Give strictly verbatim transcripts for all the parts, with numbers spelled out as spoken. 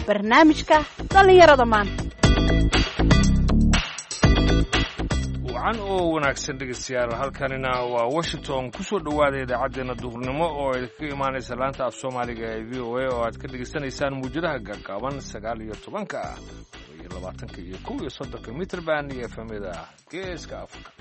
Barnaamijka dhallinyarada maanta. Wacan oo wanaagsan dhegeystayaal, halkanina waa Washington. Kusoo dhowaada idaacaddeenna duhurnimo oo idinkaga imaanaysa laanta af Soomaaliga ee V O A oo aad ka dhegaysanaysaan muwjadaha gaagaaban sagaal iyo tobanka, iyo labaatanka iyo kow iyo soddonka mitrban iyo efemyada Geeska Afrika.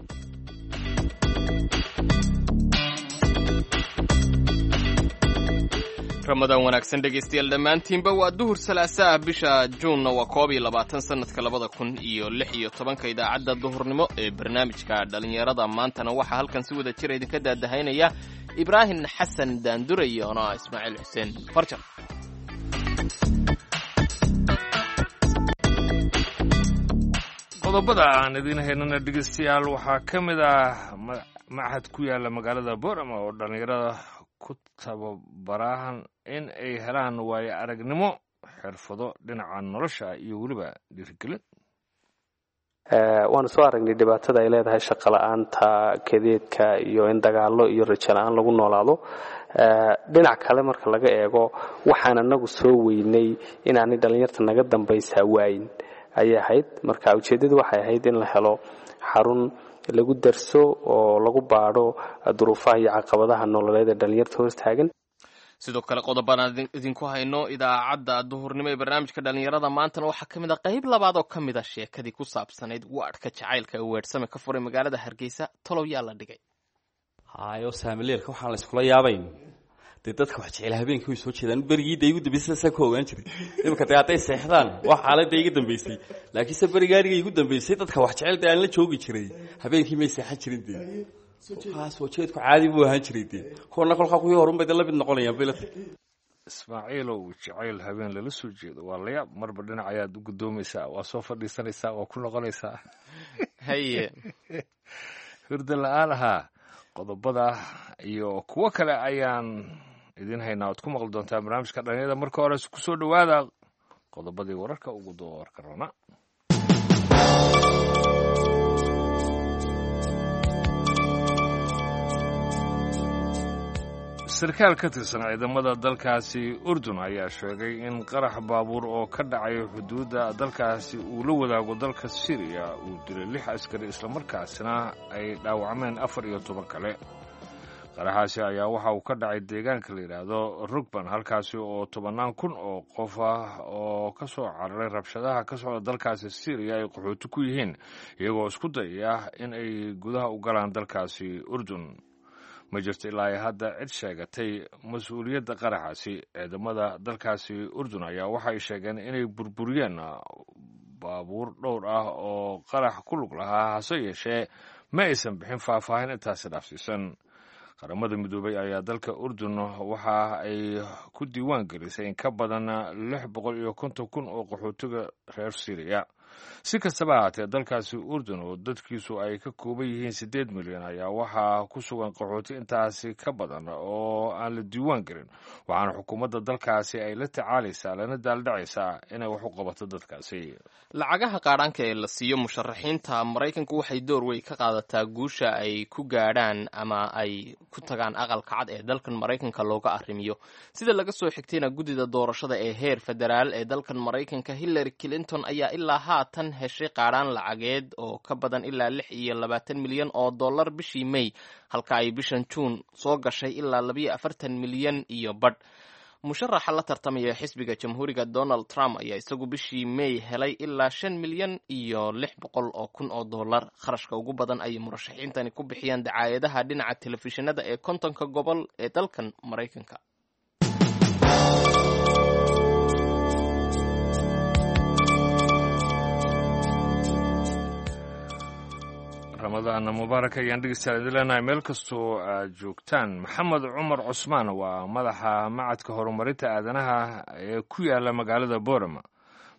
Ramadaan wanaagsan dhegaystayaal dhammaantiinba. Waa duhur salaasaah, bisha Juunna waa koob iyo labaatan, sanadka labada kun iyo lix iyo tobanka. Idaacadda duhurnimo ee barnaamijka dhallinyarada maantana waxaa halkan si wada jira idinka daadahaynaya Ibraahim Xasan Daandure iyo anaa Ismaaciil Xuseen Farjar. Qodobada aan idiin haynana dhegeystayaal waxaa ka mid ah machad ku yaala magaalada Boorama oo dhallinyarada ku tababarahan in ay helaan waayo aragnimo, xirfado dhinaca nolosha iyo weliba dhiirigelin. Waanu soo aragnay dhibaatada ay leedahay shaqo la-aanta, kadeedka iyo in dagaallo iyo rajo la-aan lagu noolaado. Dhinac kale marka laga eego, waxaan anagu soo weynay inaanay dhallinyarta naga dambaysaa waayin ayay ahayd. Marka ujeeddadu waxay ahayd in la helo xarun lagu darso oo lagu baadho duruufaha iyo caqabadaha nololeed ee dhallinyarta hoostaagan. Sidoo kale qodobaan idinku hayno idaacadda duhurnimo ee barnaamijka dhallinyarada maantana waxaa ka mid a qayb labaad oo ka mid a sheekadii ku saabsanayd waadhka jacaylka ee weedhsame ka furay magaalada Hargeysa. Tolow yaa la dhigay? Hayo, saamileelka waxaan la iskula yaabayn dee dadka wax jecel habeenkii way soo jeedaan. Berigii dee igu dambeysay saasaa ku ogaan jiray. Imika dee hadday seexdaan waa xaaladda iga dambeysay, laakiinse berigaaniga igu dambeysay dadka wax jecel dee aan la joogi jiray habeenkii may seexan jirin. Dee soo jeedku caadi buu ahaan jiray. Dee kuwana kolkaa kuwii horunbay dee la mid noqonayaan bay la tahay. Ismaaciilow, jacayl habeen lala soo jeedo waa la yaab. Marba dhinac ayaad u guddoomaysaa, waa soo fadhiisanaysaa, waa ku noqonaysaa. Haye. Hurda la-aan ahaa. Qodobada iyo kuwo kale ayaan idiin haynaa oad ku maqli doontaa barnaamijka dhalinyarada. Marka hore kusoo dhowaada qodobadii wararka ugu doorka roona. Sarkaal ka tirsan ciidamada dalkaasi Urdun ayaa sheegay in qarax baabuur oo ka dhacay xuduudda dalkaasi uu la wadaago dalka Syriya uu dilay lix askari, islamarkaasina ay dhaawacmeen afar iyo toban kale. Qaraxaasi ayaa waxa uu ka dhacay deegaanka la yidhaahdo Rugban, halkaasi oo tobannaan kun oo qof ah oo ka soo cararay rabshadaha ka socda dalkaasi Syriya ay qaxooti ku yihiin, iyagoo isku dayaya in ay gudaha u galaan dalkaasi Urdun. Ma jirto ilaa ay hadda cid sheegatay mas-uuliyadda qaraxaasi. Ciidamada dalkaasi Urdun ayaa waxay sheegeen inay burburiyeen baabuur dhowr ah oo qarax ku lug lahaa, hase yeeshee ma aysan bixin faahfaahin intaasi dhaafsiisan. Qaramada Midoobay ayaa dalka Urdun waxa ay ku diiwaan gelisay in ka badan lix boqol iyo konton kun oo qaxootiga reer Syriya. Si kastaba ahaatee, dalkaasi Urdun oo dadkiisu ay ka kooban yihiin siddeed milyan ayaa waxaa ku sugan qaxooti intaasi ka badan oo aan la diiwaan gelin, waxaana xukuumadda dalkaasi ay la tacaalaysaa lana daaldhacaysaa inay wax u qabato dadkaasi. Lacagaha qaadhaanka ee la siiyo musharaxiinta Maraykanku waxay door weyn ka qaadataa guusha ay ku gaadhaan ama ay ku tagaan Aqalka Cad ee dalkan Maraykanka looga arrimiyo. Sida laga soo xigtayna guddida doorashada ee heer federaal ee dalkan Maraykanka, Hillary Clinton ayaa ilaa haatan heshay qaadhaan lacageed oo ka badan ilaa lix iyo labaatan milyan oo dollar bishii May, halka ay bishan Juun soo gashay ilaa labayo afartan milyan iyo badh. Musharaxa la tartamaya xisbiga Jamhuuriga Donald Trump ayaa isagu bishii May helay ilaa shan milyan iyo lix boqol oo kun oo dollar. Kharashka ugu badan ayay murashaxiintani ku bixiyaan dacaayadaha dhinaca telefishinada ee kontonka gobol ee dalkan Maraykanka. Ramadaanna mubaarak ayaan dhegeystayaal idin leenahay meel kastoo aad joogtaan. Maxamed Cumar Cusmaan waa madaxa macadka horumarinta aadanaha ee ku yaala magaalada Boorama.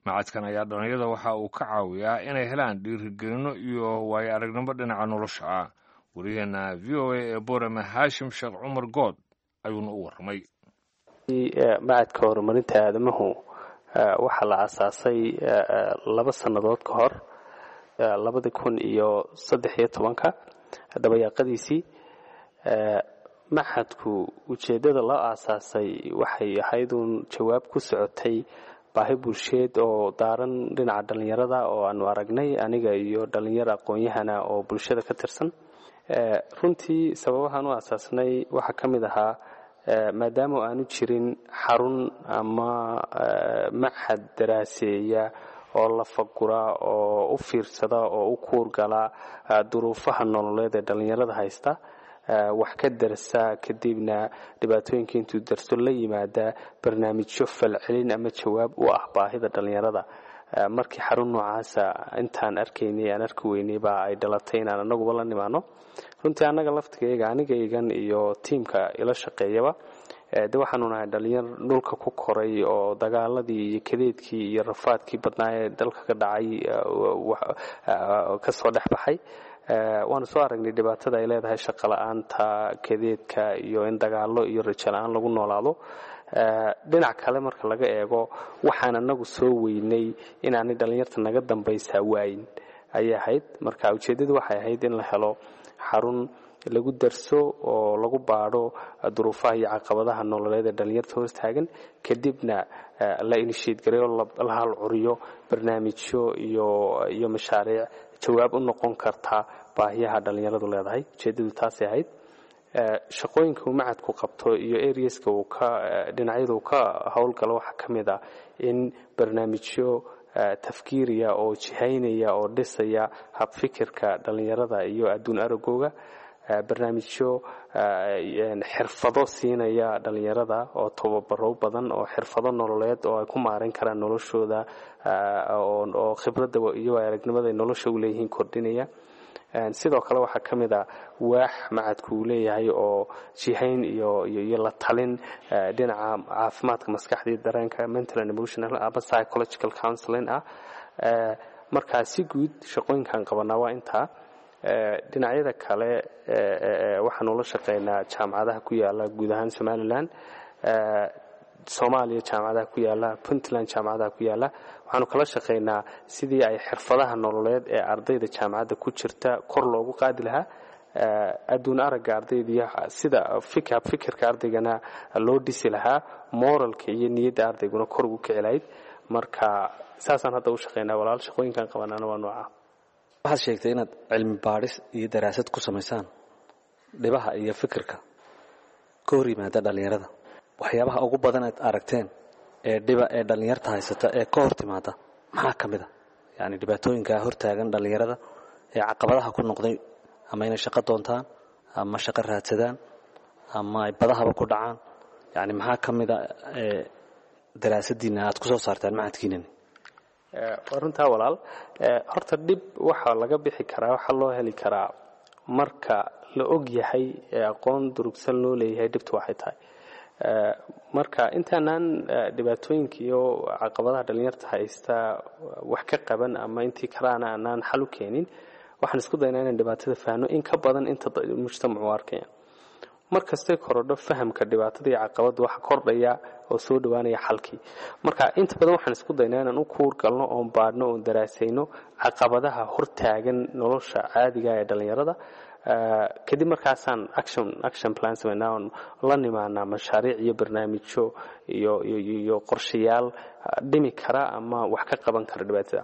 Macadkan ayaa dhalinyarada waxa uu ka caawiyaa inay helaan dhiirigelino iyo waayo aragnimo dhinaca nolosha ah. Wariyaheena V O A ee Boorama, Haashim Sheekh Cumar Good, ayuuna u warramay. Macadka horumarinta aadamahu waxaa la aasaasay laba sannadood ka hor, labadi kun iyo saddex iyo tobanka dabayaaqadiisii. Maxadku ujeeddada loo aasaasay waxay ahayd uun jawaab ku socotay Baahi bulsheed oo daaran dhinaca dhallinyarada oo aanu aragnay aniga iyo dhallinyaro aqoon-yahana oo bulshada ka tirsan. Runtii sababahaan u aasaasnay waxaa ka mid ahaa maadaama aanu jirin xarun ama machad daraaseeya oo la fagura oo u fiirsada oo u kuurgala duruufaha nololeed ee dhallinyarada haysta, wax ka darsa, kadibna dhibaatooyinka intuu darso la yimaada barnaamijyo falcelin ama jawaab u ah baahida dhallinyarada. Markii xarun noocaasa intaan arkaynay aan arki weynay baa ay dhalatay inaan anaguba la nimaano. Runtii annaga laftigayga, anigaygan iyo tiimka ila shaqeeyaba, de waxaanu nahay dhalinyar dhulka ku koray oo dagaaladii iyo kadeedkii iyo rafaadkii badnaa ee dalka ka dhacay kasoo dhex baxay. Waanu soo aragnay dhibaatada ay leedahay shaqo la-aanta, kadeedka iyo in dagaalo iyo rajo la-aan lagu noolaado. Dhinac kale marka laga eego, waxaan anagu soo weynay inaanay dhallinyarta naga dambaysaa waayin ayay ahayd. Marka ujeeddadu waxay ahayd in la helo xarun lagu darso oo lagu baadho duruufaha iyo caqabadaha nololeed ee dhallinyarta hoos taagan, kadibna la initiate gareeyo, la halcuriyo barnaamijyo iyo iyo mashaariic jawaab u noqon karta baahiyaha dhallinyaradu leedahay. Ujeeddadu taasay ahayd. Shaqooyinka uu macadku qabto iyo areaska uu ka dhinacyada uu ka howlgalo waxaa ka mid ah in barnaamijyo tafkiiriya oo jihaynaya oo dhisaya habfikirka dhallinyarada iyo adduun aragooga, barnaamijyo xirfado siinaya dhallinyarada oo tababaro badan oo xirfado nololeed oo ay ku maareyn karaan noloshooda oo khibradda iyo aragnimada ay nolosha u leeyihiin kordhinaya. Sidoo kale waxaa ka mid a waax macadku uu leeyahay oo jihayn iyo iyo la talin dhinaca caafimaadka maskaxda iyo dareenka, mental and emotional ama psychological counseling ah. Markaa si guud shaqooyinkan qabanaa waa intaa. Dhinacyada kale waxaanu la shaqeynaa jaamacadaha ku yaala guud ahaan Somaliland, Soomaaliya jaamacadaha ku yaala, Puntland jaamacadaha ku yaala. Waxaanu kala shaqeynaa sidii ay xirfadaha nololeed ee ardayda jaamacadda ku jirta kor loogu qaadi lahaa, adduun aragga ardayda iyo sida fikirka ardaygana loo dhisi lahaa, moralka iyo niyadda ardayguna kor ugu kici lahayd. Marka saasaan hadda u shaqeynaa, walaal. Shaqooyinkan qabanaana waa nooca. Waxaad sheegtay inaad cilmi baadhis iyo daraasad ku samaysaan dhibaha iyo fikirka ka hor yimaada dhallinyarada. Waxyaabaha ugu badan aad aragteen ee dhiba ee dhallinyarta haysata ee ka hor timaada maxaa ka mid a? Yacni dhibaatooyinkaa hortaagan dhallinyarada ee caqabadaha ku noqday, ama inay shaqo doontaan ama shaqo raadsadaan ama ay badahaba ku dhacaan, yacni maxaa ka mid a ee daraasadiina aad ku soo saartaan macadkiinani? Waa runtaa, walaal. Horta dhib waxaa laga bixi karaa, waxaa loo heli karaa marka la og yahay ee aqoon durugsan loo leeyahay dhibtu waxay tahay. Marka intaanaan dhibaatooyinka iyo caqabadaha dhalinyarta haysta wax ka qaban ama intii karaana aanaan xal u keenin, waxaan isku daynaa inaan dhibaatada fahno in ka badan inta mujtamacu arkayaan. Mar kastay korodho fahamka dhibaatada iyo caqabadda, waxa kordhaya oo soo dhawaanaya xalkii. Marka inta badan waxaan isku daynaa inaan u kuur galno oon baadhno oon daraasayno caqabadaha hortaagan nolosha caadiga ee dhallinyarada. Kadib markaasaan action action plan samaynaa oon la nimaanaa mashaariic iyo barnaamijyo iyo iyo iyo qorshayaal dhimi kara ama wax ka qaban kara dhibaatada.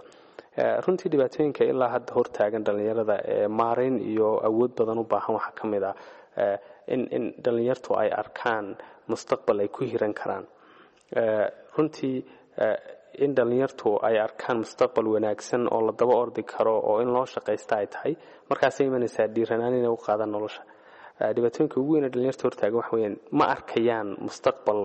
Runtii dhibaatooyinka ilaa hadda hortaagan dhallinyarada ee maarayn iyo awood badan u baahan waxaa ka mid ah in in dhallinyartu ay arkaan mustaqbal ay ku hiran karaan. Runtii in dhallinyartu ay arkaan mustaqbal wanaagsan oo la daba ordi karo oo in loo shaqaysta ay tahay, markaasay imanaysaa dhiiranaan inay u qaadaan nolosha. Dhibaatooyinka ugu weyn ee dhalinyarta hortaagan waxa weyaan ma arkayaan mustaqbal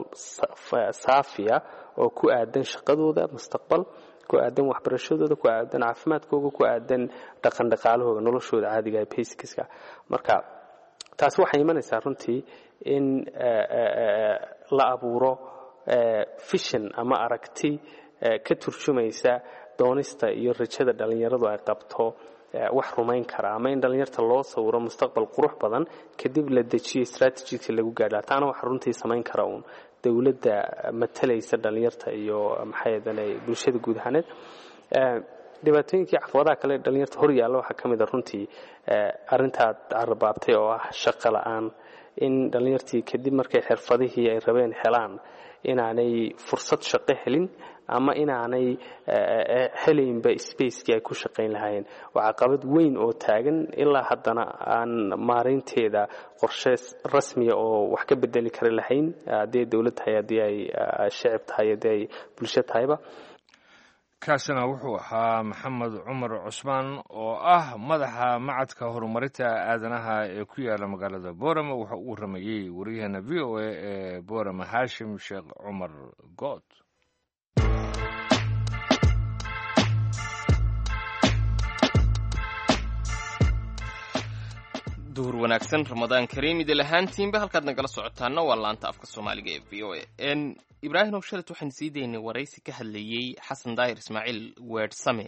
saafiya oo ku aadan shaqadooda, mustaqbal ku aadan waxbarashadooda, ku aadan caafimaadkooga, ku aadan dhaqan dhaqaalahooga, noloshooda caadiga ee basicska. Marka taasi waxay imanaysaa runtii in la abuuro vision ama aragti ka turjumaysa doonista iyo rajada dhallinyaradu ay qabto, wax rumayn kara, ama in dhallinyarta loo sawiro mustaqbal qurux badan, kadib la dejiyo strategiska lagu gaadha. Taana waxa runtii samayn kara uun dowladda matalaysa dhallinyarta iyo maxay bulshada guud ahaaneed. Dhibaatooyinkii caqabadaha kale ee dhalinyarta hor yaalla waxaa ka mid a runtii arrintaad carabaabtay oo ah shaqo la-aan, in dhallinyartii kadib markay xirfadihii ay rabeen helaan inaanay fursad shaqo helin Ama inaanay helaynba spacekii ay ku shaqayn lahaayeen. Waa caqabad weyn oo taagan ilaa haddana aan maareynteeda qorshe rasmiya oo wax ka bedeli kari lahayn, haddii ay dowlad tahay, haddii ay shicib tahay, haddii ay bulsho tahayba. Kaasina wuxuu ahaa Maxamed Cumar Cusmaan oo ah madaxa macadka horumarinta aadanaha ee ku yaala magaalada Boorama. Wuxuu u waramayey waryaheena V O A ee Boorama, Haashim Sheekh Cumar Good. Duhur wanaagsan, Ramadaan kariim idil ahaantiinba. Halkaad nagala socotaana waa laanta afka Soomaaliga ee V O A. Ibraahim ow, shalat waxaan sii daynay waraysi ka hadlayey Xasan Daahir Ismaaciil Weersame,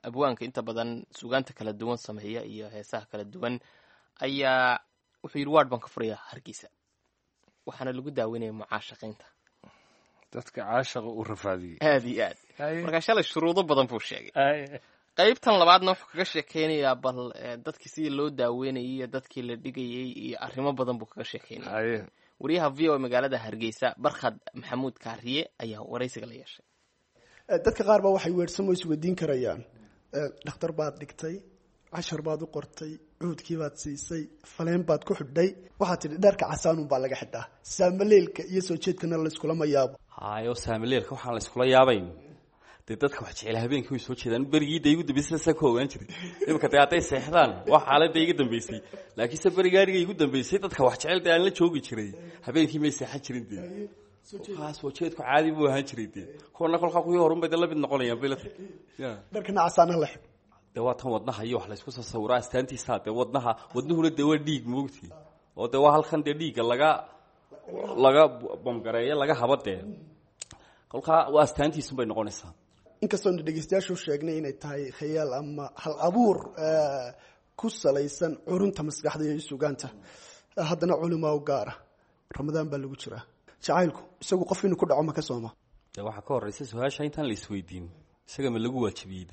abwaanka inta badan sugaanta kala duwan sameeya iyo heesaha kala duwan. Ayaa wuxuu yidhi waadh baan ka furayaa Hargeysa, waxaana lagu daaweynaya mucaashaqaynta. Dadka caashaqa u rafaadiyey. Aada iyo aad. Markaa shalay shuruudo badan buu sheegay. Qaybtan labaadna wuxuu kaga sheekeynayaa bal dadkii sidii loo daaweynayay iyo dadkii la dhigayay iyo arrimo badan buu kaga sheekeynaya. Wariyaha V O A magaalada Hargeysa, Barkhad Maxamuud Kaariye, ayaa waraysiga la yeeshay. Dadka qaar baa waxay weersamo isweydiin karayaan: dhakhtar baad dhigtay, cashar baad u qortay, cuudkii baad siisay, faleen baad ku xidhay, waxaad tidhi dharka casaanun baa laga xidhaa, saamaleelka iyo soo jeedkana layskulama yaabo. Hayo, saamaleelka waxaan layskula yaabayn, dee dadka wax jecel habeenkii way soo jeedaan. Berigii dee igu dambeysay saasaa ku ogaan jiray. Imika dee hadday seexdaan waa xaaladda iga dambeysay, laakiinse beriga aniga igu dambeysay dadka wax jecel dee aan la joogi jiray habeenkii may seexan jirin. Dee kolkaa soo jeedku caadi buu ahaan jiray. Dee kuwana kolkaa kuwii horun bay dee la mid noqonayaan bay la tahay. Dharkana casaanaha la xidho. Dee waa tan wadnaha iyo wax laysku soo sawiraa astaantiisa. Dee wadnaha, wadnuhuna dee waa dhiig moogti, oo dee waa halkan dee dhiigga laga laga bamgareeyo, laga habo. Dee kolkaa waa astaantiisun bay noqonaysaa. Inkastoona dhegeystayaashu sheegnay inay tahay khayaal ama hal abuur ku salaysan curunta maskaxda iyo sugaanta, haddana culimaa u gaara, Ramadaan baa lagu jiraa, jacaylku isagu qof inuu ku dhaco ma ka sooma? Dee waxaa ka horreysa su-aasha intaan la isweydiin, isaga ma lagu waajibiyey?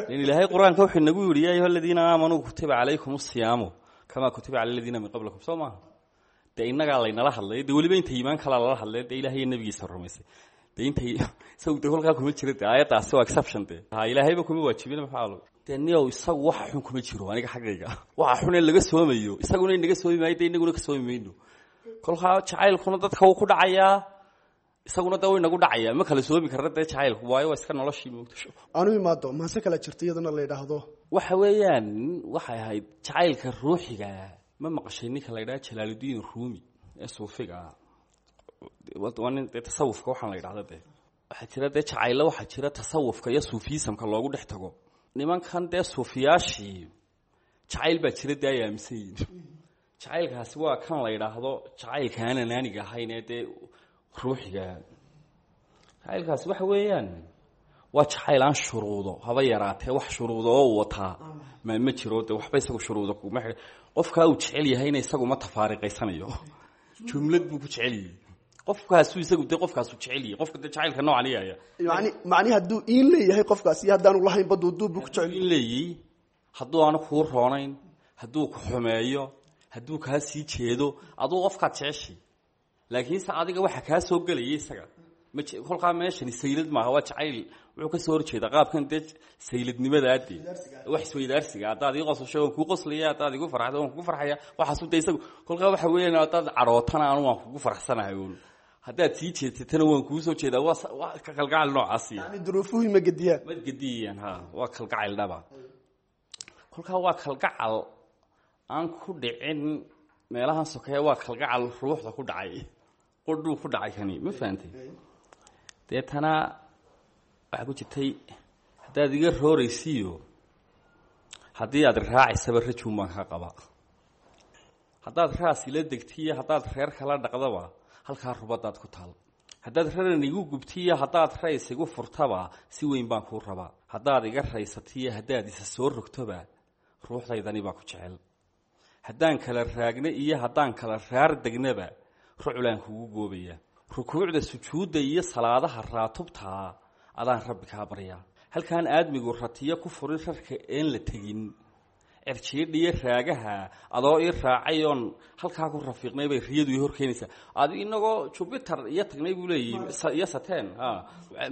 De in Ilaahay Qur-aanka wuxuu inagu yidhi: "Yaa ayuha aladiina aamanuu kutiba calaykum asiyaamu kamaa kutiba cala aladiina min qablikum." Soo maaha? Dee innagaa laynala hadlay, dee weliba inta iimaan kalaa lala hadlay, dee Ilahay iyo nabigiisa rumaysay. Dee intay isagu dee kolkaa kuma jira, dee aayaddaasi waa exception. Dee ha, Ilaahayba kuma waajibin. Maxaa lo dee niyow, isagu waxa xun kuma jiro. Aniga xaggayga waxa xun ee laga soomayo isaguna inaga soomi maayo, dee inaguna ka soomi mayno. Kolkaa jacaylkuna dadka wuu ku dhacayaa, isaguna dee wuu inagu dhacayaa. Ma kala soomi karna dee jacaylku, waayo waa iska noloshii moogtasho. Aanu imaado maase kala jirta iyadana la yidhaahdo. Waxa weeyaan waxay ahayd jacaylka ruuxiga. Ma maqashay ninka la yidhaha Jalaaludiin Ruumi ee suufiga ah? Waa nin dee tasawufka waxaan la yidhahda. Dee waxaa jira dee jacaylo, waxaa jira tasawufka iyo suufiyisamka loogu dhex tago. Nimankan dee suufiyaashii jacayl baa jira dee ay aaminsan yihiin. Jacaylkaasi waa kan la yidhaahdo jacaylka aan anaaniga ahayn ee dee ruuxiga. Jacaylkaasi waxa weeyaan waa jacayl aan shuruudo haba yaraatee wax shuruudo oo uu wataa ma ma jiro. Dee waxba isagu shuruudo kuma xidh. Qofkaa uu jecel yahayna isagu ma tafaariqaysanayo, jumlad buu ku jecel yahay qofkaasuu isagu. Dee qofkaasuu jecel yahay qofka dee jacaylka noocan iyaya. Yani macnihi hadduu iin leeyahay qofkaas iyo haddaanu lahayn ba duuduub buu ku jecel. In leeyihi hadduu aanu kuu roonayn, hadduu ku xumeeyo, hadduu kaa sii jeedo, aduu qofkaad jeceshay, laakiinse adiga waxa kaa soo gelaya isaga ma kolkaa meeshani saylad maaha, waa jacayl. Wuxuu ka soo horjeeda qaabkan dee sayladnimadaa, dee wax isweydaarsiga. Haddaad ii qosasho waan kuu qoslaya, haddaad igu farxdo waan kugu farxaya. Waxaasu dee isagu kolkaa waxa weeyaan haddaad cadhootana anu waan kugu farxsanahay uun, haddaad sii jeedsatana waan kuu soo jeedaa. Waa waa kalgacal noocaasi. Yani duruufuhu ma gediyaan. Ma gediyaan, ha, waa kalgacayl dhaba. Kolkaa waa kalgacal aan ku dhicin meelahan sokeeya, waa kalgacal ruuxda ku dhacay, qudhuu ku dhacay kani. Ma fahantay? Deetana waxaa ku jirtay: haddaad iga rooraysiiyo haddii aad raacaysaba, rajuun baan kaa qabaa. Haddaad raas ila degtiyo haddaad reer kala dhaqdaba, halkaa rubadaad ku taal. Haddaad raran igu gubtiyo haddaad rays igu furtaba, si weyn baan kuu rabaa. Haddaad iga raysatiyo haddaad isa soo rogtoba, ruuxdaydani baa ku jecel. Haddaan kala raagna iyo haddaan kala raar degnaba, ruclaan kugu goobaya. Rukuucda, sujuudda iyo salaadaha raatubtaa, adaan Rabbi kaa baryaa. Halkaan aadmigu ratiyo ku furin rarka een la tegin, Cirjiidha iyo raagaha adoo ii raacay oon halkaa ku rafiiqnay bay riyadu ii horkeenaysaa. Adi inagoo Jupiter iyo tagnay buu leeyahy iyo Saturn.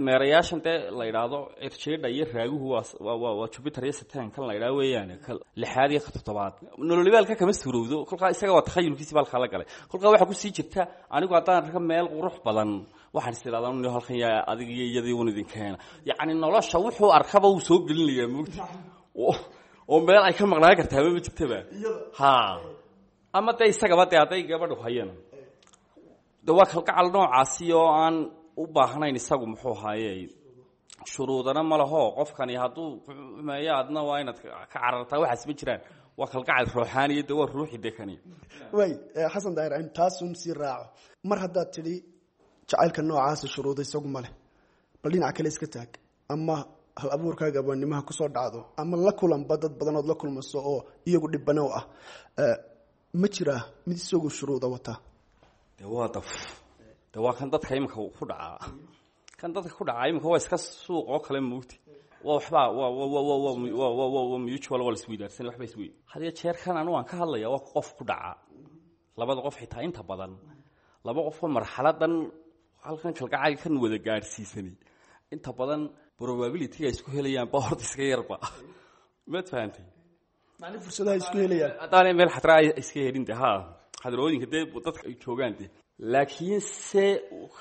Meerayaashan dee la yidhaahdo cirjiidha iyo raaguhu waa waa waa Jupiter iyo Saturn kan la yidhahdo weeyaan, ka lixaad iyo ka toddobaad. Nololibaalka kama suurowdo kolkaa, isaga waa takhayulkiisi baalkaa la galay. Kolkaa waxaa kusii jirta, anigu haddaan arka meel qurux badan waxaan is idhahdaa un halkan yaa adiga iyo iyadii un idin keena. Yacni nolosha wuxuu arkaba wuu soo gelinayaa, moogta, oo meel ay ka maqnaan kartaaba ma jirtaba. Ha, ama dee isagaba dee hadday gabadhu hayana de waa kalgacal noocaasi oo aan u baahnayn isagu muxuu ahaaye shuruudana ma laho. Qofkani hadduu xumeeyo adna waa inaad ka carartaa, waxaas ma jiraan. Waa kalgacal ruuxaaniya, de waa ruuxi de kani. Way Xasan Daahir, aynu taasun sii raaco. Mar haddaad tidhi jacaylka noocaasa shuruuda isagu ma leh, bal dhinaca kale iska taag, ama hal abuurkaaga abwaanimaha kusoo dhacdo, ama la kulanba dad badanood la kulmaso oo iyagu dhibano ah, ma jiraa mid isagu shuruuda wataa? De waa daf, de waa kan dadka iminka ku dhacaa, kan dadka ku dhacaa iminka waa iska suuq oo kale, moogti. Waa waxbaa waa wa wa wa wa wa wa wa mutual, waa laisweydaarsan, waxba iswey. Had iyo jeer kan anigu aan ka hadlaya waa qof ku dhaca labada qof, xitaa inta badan laba qofoo marxaladan halkan kalgacayl kan wada gaadhsiisanay, inta badan probability-ga isku helayaan ba horta iska yarba, maad fahantay? Macni fursadaha isku helayaan haddaanay meel xadraa ay iska helin de, ha, xadrooyinka dee dadka ay joogaan de. Laakiin se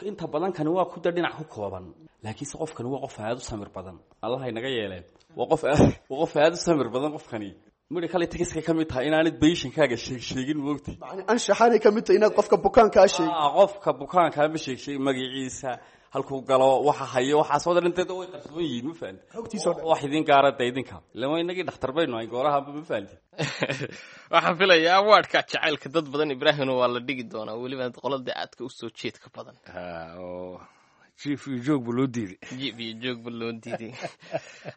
inta badan kani waa ku de dhinac ku kooban, laakiinse qofkani waa qof aada u samir badan. Allah inaga yeeleen, waa qof aad waa qof aada u samir badan qofkani. Medical ethics-ka ka mid tahay inaanad patientkaaga sheeg sheegin, moogti. Macni anshaxaanay ka mid tahay inaad qofka bukaankaa sheegin? Qofka bukaankaa ma sheeg sheeg, magaciisa, halkuu galo, waxa hayo, waxaasoo dhan inteeda way qarsoon yihiin, ma fahanti? Xogtiisoo dhan. Wax idin gaara de idinka ilama inagii dhakhtar baynu ahay goorahanba, ma fahanti? Waxaan filayaa awaadhka jacaylka dad badan, Ibraahimna, waa la dhigi doonaa, weliba qolada aadka usoo jeedka badan. Oo jiif iyo joogba loo diiday. Jiif iyo joogba loo diiday.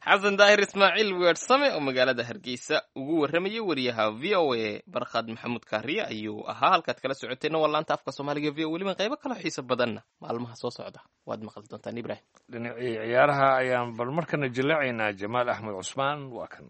Xasan Daahir Ismaaciil Weersame oo magaalada Hargeysa ugu warramayay wariyaha V O A Barkhad Maxamuud Kaariye ayuu ahaa. Halkaad kala socoteenna waa laanta afka Soomaaliga V O. Weliba qaybo kaloo xiiso badanna maalmaha soo socda waad maqli doontaan, Ibrahim. Dhinacii ciyaaraha ayaan bal markana jillacaynaa. Jamaal Axmed Cusmaan waa kan.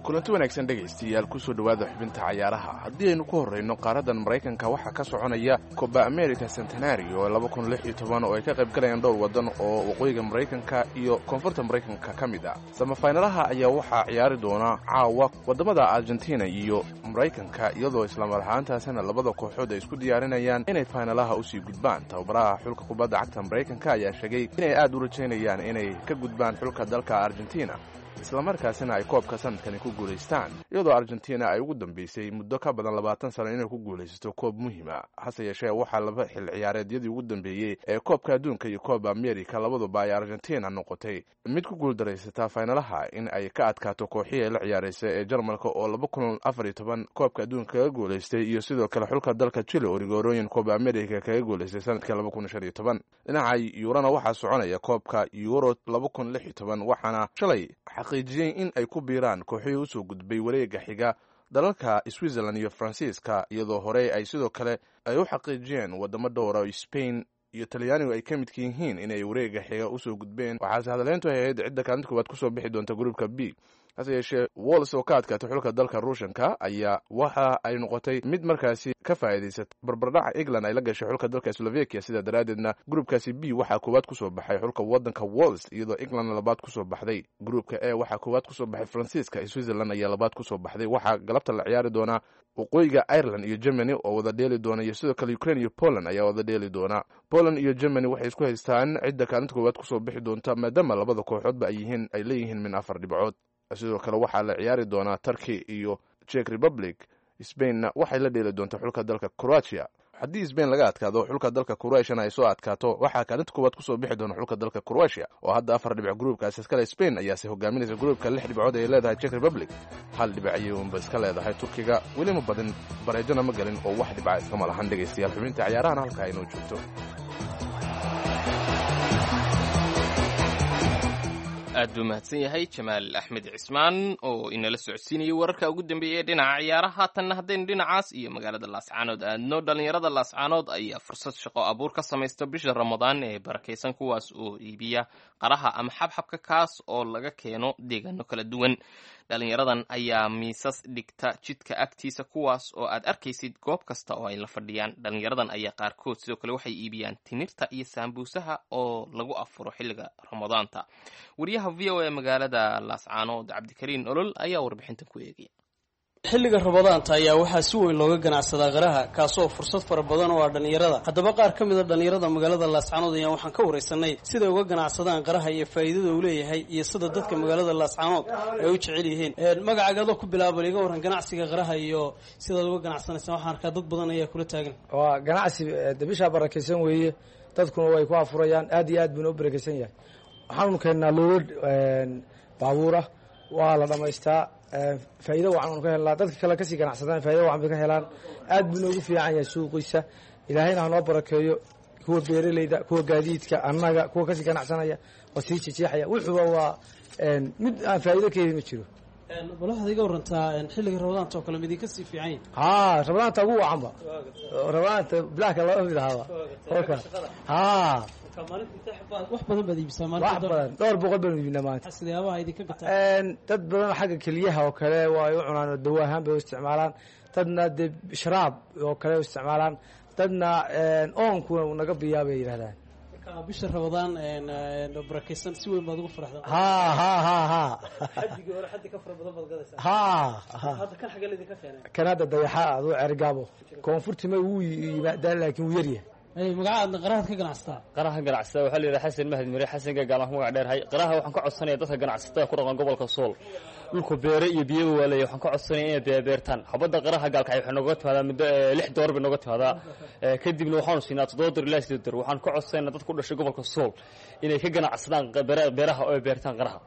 Kulanti wanaagsan dhegaystayaal, kusoo dhowaada xubinta cayaaraha. Haddii aynu ku horrayno qaaraddan Maraykanka, waxaa ka soconaya Coba America Centenario laba kun lix iyo toban oo ay ka qayb galayaan dhowr waddan oo waqooyiga Maraykanka iyo koonfurta Maraykanka ka mid ah. Samafaynalaha ayaa waxaa ciyaari doona caawa waddamada Argentina iyo Maraykanka, iyadoo islamar ahaantaasina labada kooxood ay isku diyaarinayaan inay faynalaha usii gudbaan. Tababaraha xulka kubadda cagta Maraykanka ayaa sheegay inay aad u rajaynayaan inay ka gudbaan xulka dalka Argentina, islamarkaasina ay koobka sanadkani ku guulaystaan, iyadoo Argentina ay ugu dambeysay muddo ka badan labaatan sano inay ku guulaysato koob muhiima. Hase yeeshee waxaa laba xil ciyaareedyadii ugu dambeeyey ee koobka adduunka iyo kooba America labaduba ay Argentina noqotay mid ku guuldaraysataa faynalaha in ay ka adkaato kooxihii ay la ciyaaraysa ee Jarmalka oo laba kun afar iyo toban koobka adduunka kaga guulaystay, iyo sidoo kale xulka dalka Chile oo rigoorooyin kooba America kaga guulaystay sanadka laba kun shan iyo toban. Dhinaca Yuurana waxaa soconaya koobka Euro laba kun lix iyo toban, waxaana shalay xaqiijiyey in ay ku biiraan kooxihii usoo gudbay wareega xiga dalalka Switzerland iyo Faransiiska, iyadoo horey ay sidoo kale ay u xaqiijiyeen waddamo dhowra oo Spain iyo Talyaanigu ay ka midka yihiin inay wareega xiga usoo gudbeen. Waxaase hadaleyntu ay ahayd cidda kaalinta koowaad kusoo bixi doonta gruupka B. Hase yeeshee Wals oo ka adkaatay xulka dalka Ruushanka ayaa waxa ay noqotay mid markaasi ka faa'iidaysatay barbardhaca England ay la gashay xulka dalka Slovakia. Sidaa daraaddeedna gruupkaasi B waxaa koowaad kusoo baxay xulka waddanka Wals, iyadoo England labaad kusoo baxday. Gruupka A waxaa koowaad kusoo baxay Faransiiska, Switzerland ayaa labaad kusoo baxday. Waxaa galabta la ciyaari doonaa waqooyiga Ireland iyo Germany oo wada dheeli doona, iyo sidoo kale Ukraine iyo Poland ayaa wada dheeli doona. Poland iyo Germany waxay isku haystaan cidda kaalinta koowaad kusoo bixi doonta, maadaama labada kooxoodba ay yihiin ay leeyihiin min afar dhibcood. Sidoo kale waxaa la ciyaari doonaa Turkey iyo Czech Republic. Spainna waxay la dheeli doontaa xulka dalka Croatia. Haddii Spain laga adkaado, xulka dalka Croatiana ay soo adkaato, waxaa kaalinta koowaad kusoo bixi doona xulka dalka Croatia oo hadda afar dhibic gruubkaasi iskale. Spain ayaase hogaaminaysa gruubka, lix dhibcood ay leedahay. Czech Republic hal dhibic ayay unba iska leedahay. Turkiga weli ma badin, bareejona ma galin oo wax dhibca iskama lahan. Dhegaystayaal, xubinta ciyaarahana halka inoo joogto. Aad buu mahadsan yahay Jamaal Axmed Cismaan oo inala socodsiinayay wararka ugu dambeeyay ee dhinaca ciyaaraha. Haatanna haddaynu dhinacaas iyo magaalada Laascaanood aadno, dhallinyarada Laascaanood ayaa fursad shaqo abuur ka samaysta bisha Ramadaan ee barakaysan, kuwaas oo iibiya qaraha ama xabxabka, kaas oo laga keeno deegaano kala duwan. Dhallinyaradan ayaa miisas dhigta jidka agtiisa, kuwaas oo aad arkaysid goob kasta oo ay la fadhiyaan. Dhallinyaradan ayaa qaarkood sidoo kale waxay iibiyaan timirta iyo saambuusaha oo lagu afuro xilliga Ramadaanta. Wariyaha V O A magaalada Laascaanood, Cabdikariin Olol, ayaa warbixintan ku eegaya. Xilliga Ramadaanta ayaa waxaa si weyn looga ganacsadaa qaraha, kaasoo fursad fara badan oo ah dhallinyarada. Haddaba qaar ka mid a dhallinyarada magaalada Laascaanood ayaa waxaan ka waraysanay siday uga ganacsadaan qaraha iyo faa'iidada uu leeyahay iyo sida dadka magaalada Laascaanood ay u jecel yihiin. Magacaaga adoo ku bilaabal, iga warran ganacsiga qaraha iyo sidaad uga ganacsanaysaan. Waxaan arkaa dad badan ayaa kula taagan. Waa ganacsi bishaa barakaysan weeye, dadkuna way ku afurayaan, aad iyo aad buuna u barakaysan yahay. Waxaanu keennaa loolad baabuurah, waa la dhamaystaa, faa'iido wacan aanu ka helnaa. Dadka kale kasii ganacsadaan faa'ido wacan bay ka helaan. Aad buu noogu fiican yahay suuqiisa. Ilaahayna hanoo barakeeyo kuwa beeraleyda, kuwa gaadiidka, annaga kuwa kasii ganacsanaya oo sii jejeexaya. Wuxuuba waa mid aan faa'iido ka heli ma jiro. Bal waxaad iga warantaa xilliga Ramadaanta oo kale mid idinka sii fiican yahay? Haa, Ramadaanta ugu wacanba, Ramadaanta bilahka laba mid ahaaba. Haa, wax badan baad iibisaa? Wax badan, dhowr boqol baanu iibinaa maanta. Sidaabaha idinka gataa? Dad badan xagga keliyaha oo kale waa ay u cunaan oo dawo ahaan bay u isticmaalaan, dadna dee sharaab oo kale u isticmaalaan, dadna oonkuna uu naga biyaa bay yidhahdaan. Bisha Ramadaan barakaysan si weyn baad ugu faraxdaa? Ha ha ha ha. Xaddigii hore xaddi ka fara badan baad gadaysaa? Ha ha. Hadda kan xagee laydinka keenay? Kan hadda dayaxa aduu Cergaabo koonfurtima wuu yimaadaa, laakiin wuu yaryahay. Magacaadna qarahaad ka ganacsataa? Qaraha ganacsataa waxaa la yidhaha Xasan Mahad Mire, Xasan Gagaalaan ku magac dheerhay. Qaraha waxaan ka codsanaya dadka ganacsatada ku dhaqan gobolka Sool, dhulku beere iyo biyaba waa leeyahay, waxaan ka codsanaya inay beebeertaan. Xabadda qaraha Gaalkacay waxay nooga timaadaa muddo lix door bay nooga timaadaa, kadibna waxaanu siinaa toddoba door ilaa sideed door. Waxaan ka codsanayna dadka ku dhashay gobolka Sool inay ka ganacsadaan beeraha oo ay beertaan qaraha.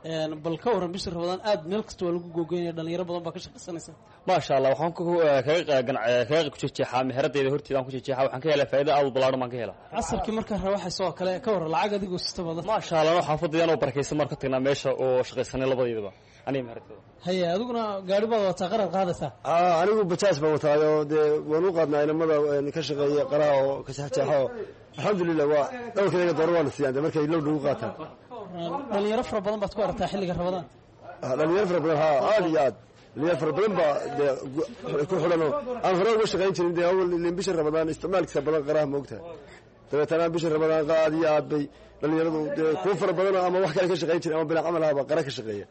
Bal ka warran bisha Ramadaan aad meel kasta waa lagu googoynaya, dhalinyaro badan baa ka shaqaysanaysa? Maasha Allah, waxaan kaga kaga ku jeexaa meheradayda horteeda aan ku jeexaa, waxaan ka helaa faa'iido aad u ballaaran baan ka helaa. Casarkii markaa rawaxaysa oo kale ka warran lacag adigoo sita badan? Maasha Allah, xaafadayaan oo barakaysan marka tagnaa meesha oo shaqaysanay labadeedaba aniga meheradayda. Haye, adiguna gaari baad wataa, qaraad qaadaysaa? Anigu bajaaj baan wataayo, dee waan u qaadnaa inamada ka shaqeeya qaraha oo ka jeexjeexa oo alxamdulilah waa dhowrkayga dooro waana siiyaan de markay low nagu qaataan. Dhalinyaro fara badan baad ku aragtaa xilliga Ramadaan? Dhalinyaro fara badan, haa, aad iyo aad dhalinyaro fara badan baa dee ku xidhan oo aan hore uga shaqayn jirin. Dee awal ilin bisha Ramadaan isticmaalkiisa badan qaraha moogtahay, dabeetana bisha Ramadaan aad iyo aad bay dhalinyaradu dee kuwa fara badanoo ama wax kale ka shaqayn jirin ama bilaa camal ahaba qara ka shaqeeya.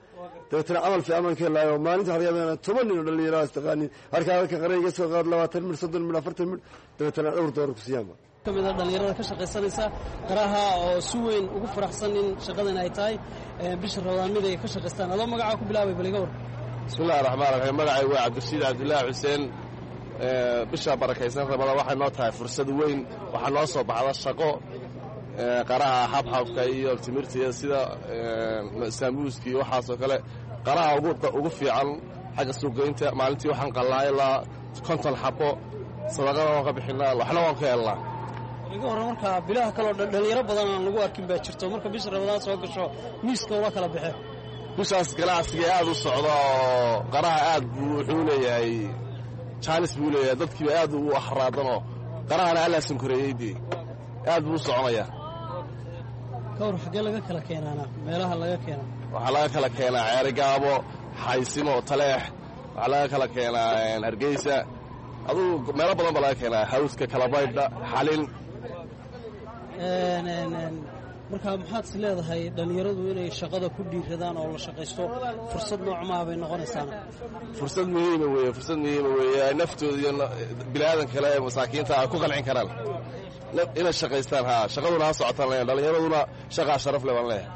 Dabeetana camal fiican baan ka helaayo. Maalinta waxaa laga yaabaa inaan toban nin oo dhalinyaro istaqaanin halkaa halka qara iga soo qaad, labaatan midh, soddon midh, afartan midh, dabeetana dhowr doolar ku siiyaanba. Kamid a dhalinyarada ka shaqaysanaysa qaraha oo si weyn ugu faraxsan in shaqadan ay tahay bisha Ramadaan mid ay ka shaqaystaan. Adoo magacaa ku bilaabay, bal iga war. Bismillahi raxmaan raxiim, magacay waa Cabdirashiid Cabdillaahi Xuseen. Bisha barakaysan Ramadaan waxay noo tahay fursad weyn, waxaa noo soo baxda shaqo qaraha xabxabka iyo timirta iyo sida saamuuska iyo waxaasoo kale. Qaraha ugu fiican xagga suuqgeynta maalintii waxaan qallaa ilaa konton xabo, sadaqada waan ka bixinaa, waxna waan ka helnaa. Iga warran markaa bilaha kaleo dhalinyaro badan aan lagu arkin baa jirto, marka bisha Ramadaan soo gasho miiska ula kala baxe? Bishaas ganacsiga aad u socda oo qaraha aad buu wuxuu leeyahay jaanis buu leeyahay, dadkiiba aad ugu axraadanoo qarahana allaa sankoreeyey, dee aad buu u soconayaa. Ka war xaggee laga kala keenaana meelaha laga keena? Waxaa laga kala keenaa Ceerigaabo, Xaysimo, Taleex, waxaa laga kala keenaa Hargeysa, adugu meelo badan baa laga keenaa, Hawska, Kalabaydha, Xalin. Marka maxaad is leedahay dhallinyaradu inay shaqada ku dhiiradaan oo la shaqaysto fursad noocmaha bay noqonaysaana? Fursad muhiima weeye, fursad muhiima weeye, ay naftooda iyo biniaadan kale ee masaakiinta ay ku qancin karaan inay shaqaystaan. Haa, shaqaduna ha socotaan leeyahay, dhallinyaraduna shaqaa sharaf leh baan leeyahay.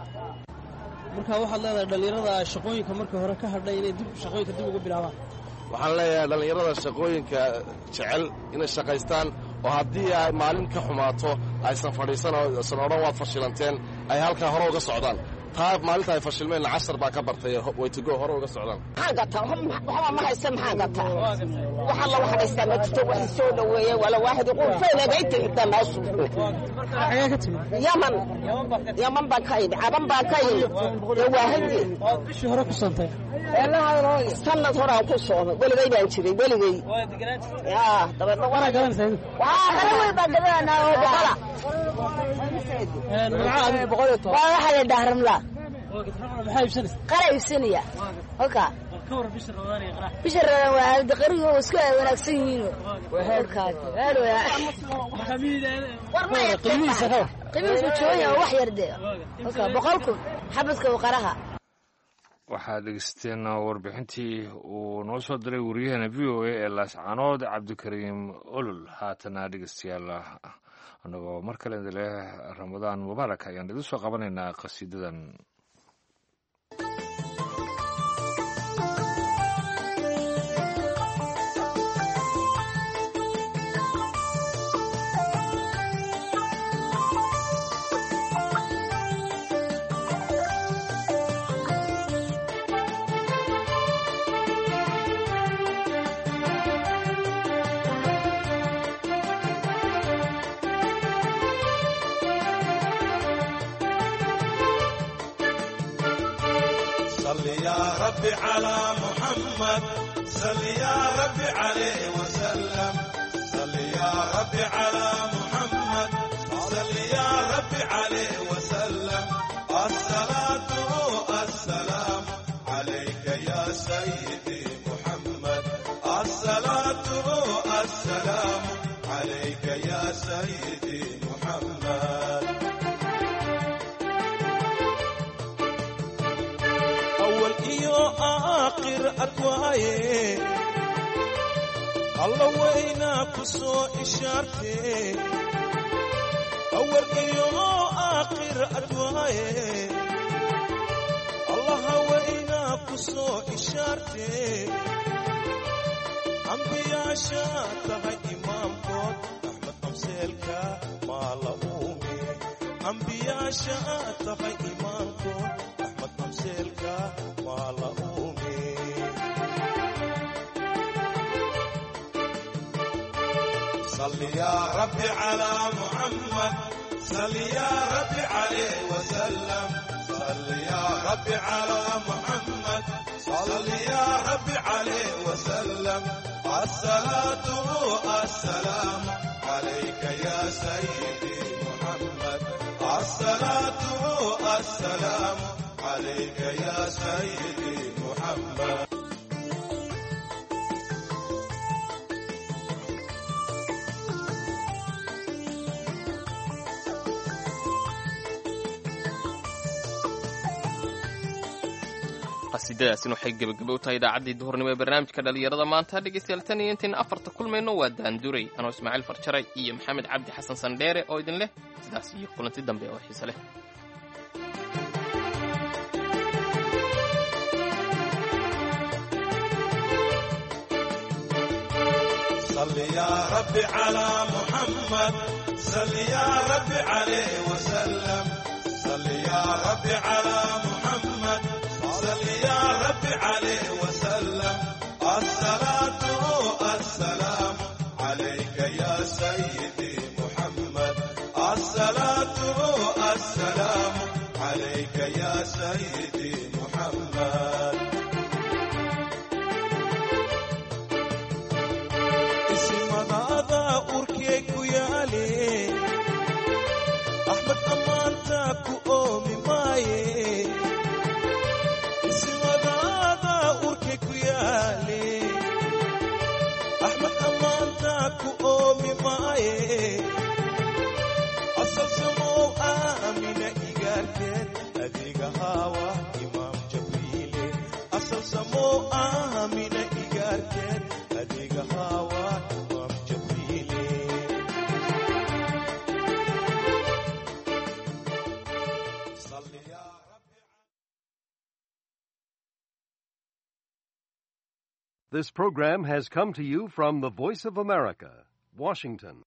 Marka waxaad leedahay dhallinyarada shaqooyinka markii hore ka hadhay inay dib shaqooyinka dib ugu bilaabaan? Waxaan leeyahay dhallinyarada shaqooyinka jecel inay shaqaystaan, oo haddii ay maalin ka xumaato aysan fadhiisan oo aysan odhan waad fashilanteen, ay halkaa hore uga socdaan. Taa maalinta ay fashilmeenna cashar baa ka bartay, way to go hore uga socdaan. Maxaan gataa? Waxba ma haysta. Maxaan gataa? Wax alla wax haystaa ma jirto. Wax soo dhaweeye wala waaxid qurfeenagayti xitaa meeshu. Yaman, Yaman baan ka yimi, Caban baan ka yimi. Dee waahidii bishii hore ku soontay? Sanad horaan ku soomay. Weligay baan jiray, weligay. Yaa dabeedna waa hore wey baan gadanaa oo boqola. Waa waxaa la dhaha Ramla. Maxaa iibsanaysa? Qara iibsanaya halka. Bisha Ramadaan waa aalada qariga oo isku wanaagsan yihiin. Qiimihiisa ka war? Qiimihiisu jaban yahay, wax yar dee halka, boqol kun xabadka qaraha. Waxaad dhegeysteen warbixintii uu noo soo diray wariyahana V O A ee Laascanood, Cabdikariim Olol. Haatana dhegeystayaal, annagoo mar kale idin leh Ramadaan mubaarak, ayaan idin soo qabanaynaa qasiidadan. صل يا ربي على محمد، صل يا ربي عليه وسلم. صل يا ربي على محمد، صل يا ربي عليه وسلم. الصلاة السلام عليك يا سيدي محمد، الصلاة السلام عليك يا سيدي محمد. أول iyo aakhir adwaaye, Alla waynaa ku soo ishaartee. Awal iyo aakhir adwaaye, Allaha waynaa ku soo ishaartee. Ambiyaasha tahay imaamkood, Axmed Amseelka maa la uume. Ambiyaasha tahay imaamkood, Axmed Amseelka maa la uume. صل يا ربي على محمد، صل يا ربي عليه وسلم. صل يا ربي على محمد، صل يا ربي عليه وسلم. الصلاة السلام عليك يا سيدي محمد، الصلاة السلام عليك يا سيدي محمد. Qasiidadaasina waxay gebagaba u tahay idaacaddii duhurnimo ee barnaamijka dhalinyarada maanta. Dhegeystayaal, tan iyo intayn afarta kulmayno, waa Daanduray anoo Ismaaciil Farjaray iyo Maxamed Cabdi Xasan Sandheere oo idin leh sidaas iyo kulanti dambe oo xiise leh. صل يا ربي على محمد، صل يا ربي عليه وسلم. صل يا ربي على محمد، صل يا ربي عليه وسلم. الصلاة السلام عليك يا سيدي محمد، الصلاة السلام عليك يا سيدي محمد. Isimadaada urkee ku yaale, Axmed ammaanta ku oomi maaye. Isimadaada urkee ku yaale, Axmed ammaanta ku oomi maaye. Asal samow Aamina igaarkeed, adiga haawa imaam Jabriile. Asal samow Aamina igaarkeed, adiga haawa imaam Jabriile. This program has come to you from the Voice of America, Washington.